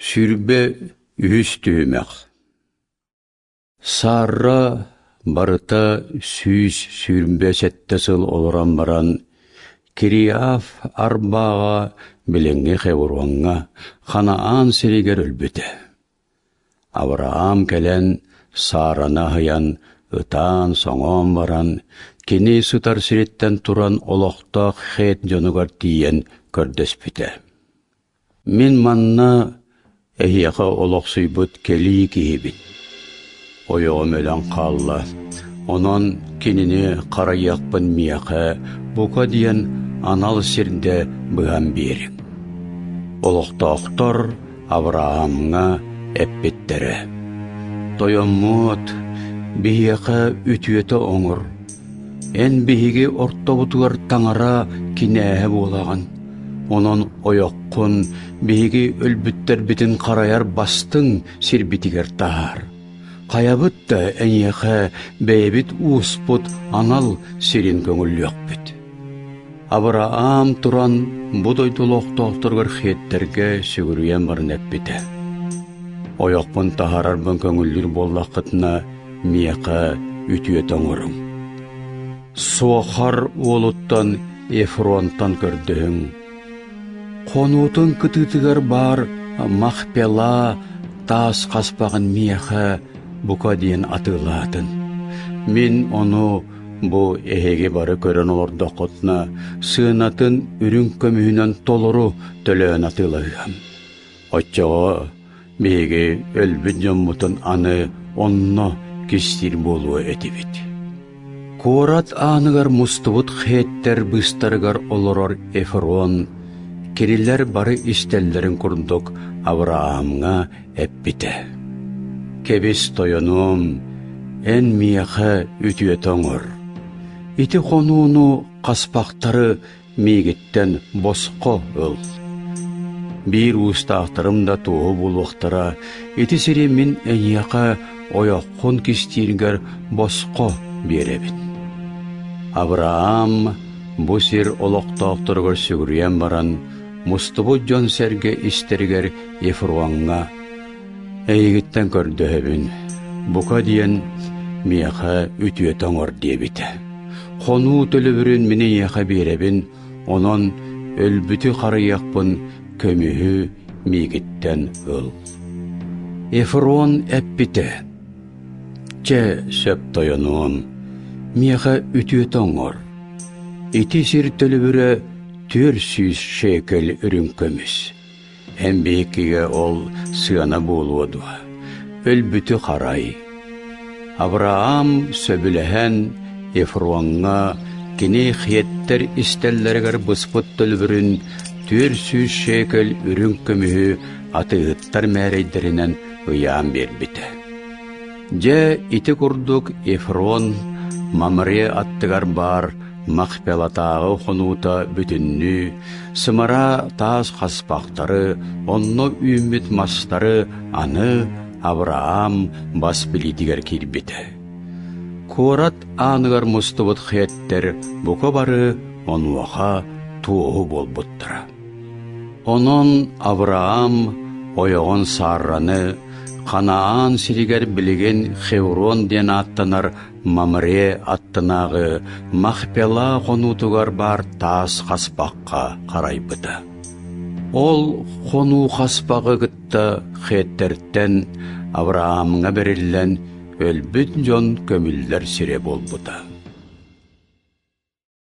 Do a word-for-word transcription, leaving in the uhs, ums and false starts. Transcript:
Сүүрбэ үһүс түһүмэх. Сарра барыта сүүс сүүрбэ сэттэ сыл олорон баран, Кириаф Арбаҕа билиҥҥи Хевроҥҥа Ханаан сиригэр өлбүтэ. Авраам кэлэн Сараны аһыйан, ытаан-соҥоон баран, кини сытар сириттэн туран олохтоох Хет дьонугар тиийэн көрдөспүтэ. Мин манна эһиэхэ олохсуйбут кэлии киһибин. Ойоҕум өлөн хаалла, онон кинини харайыахпын миэхэ бука диэн анал сирдэ быһан биэриҥ. Олохтоохтор Авраамҥа эппиттэрэ: «Тойоммуот, биһиэхэ үтүөтэ оҥор. Эн биһиги ортобутугар таҥара кинээһэ буолаҕын. Онон ойоххун биһиги өлбүттэрбитин харайар бастыҥ сирбитигэр таһаар. Хайабыт да эйиэхэ бэйэбит ууспут анал сирин көҥүллүөхпүт». Авраам туран бу дойду олохтоохторугар хиэттэргэ сүгүрүйэн баран эппитэ: «Ойохпун таһаарарбын көҥүллүүр буоллаххытына, миэхэ үтүөтэ оҥоруҥ. Суохар уолуттан Ефронтан көрдөһүҥ. Хонуутун кытыытыгар баар Махпела таас хаспаҕын миэхэ бука диэн атыылаатын. Мин ону бу эһиги бары көрөн олордоххутуна, сыанатын үрүҥ көмүһүнэн толору төлөөн атыылаһыам. Оччоҕо биһиги өлбүт дьоммутун аны онно кистиир буолуо этибит». Куорат ааныгар мустубут хеттэр быыстарыгар олорор Ефрон кинилэр бары истэллэрин курдук Авраамҥа эппитэ: «Кэбис, тойонуом, эн миэхэ үтүөтэ оҥор. Ити хонууну хаспахтары миигиттэн босхо ыл. Биир уустаахтарым да туоһу буолуохтара, ити сири мин эйиэхэ ойоххун кистииргэр босхо биэрэбин». Авраам бу сир олохтоохторугар сүгүрүйэн баран, мустубут дьон-сэргэ истэригэр Ефроҥҥа: «Эйигиттэн көрдөһөбүн, бука диэн миэхэ үтүөтэ оҥор» диэбитэ. «Хонуу төлөбүрүн мин эйиэхэ биэрэбин, онон өлбүтү харайыахпын көмүһү миигиттэн ыл». Ефрон эппитэ: «Чэ, сөп тойонуом, миэхэ үтүөтэ оҥор. Ити сир төлөбүрэ түөрт сүүс шекель үрүҥ көмүс. Эн биһиккигэ ол сыана буолуо дуо? Өлбүтү харай». Авраам сөбүлэһэн Ефроҥҥа кини хиэттэр истэллэригэр быспыт төлөбүрүн түөрт сүүс шекель үрүҥ көмүһү атыыһыттар мээрэйдэринэн ыйаан биэрбитэ. Дьэ, ити курдук Ефрон Мамре аттыгар баар Махпелатааҕы хонуута бүтүннүү сымара таас хаспахтары, онно үүммүт мастары аны Авраам бас билиитигэр киирбитэ. Куорат ааныгар мустубут хиэттэр бука бары онуоха туоһу буолбуттара. Онон Авраам ойоҕун Сарраны Ханаан сиригэр билигин Хеврон диэн ааттанар Мамре аттынааҕы Махпела хонуутугар баар таас хаспахха харайбыта. Ол хонуу хаспаҕы кытта хеттэртэн Авраамҥа бэриллэн өлбүт дьон көмүллэр сирэ буолбута.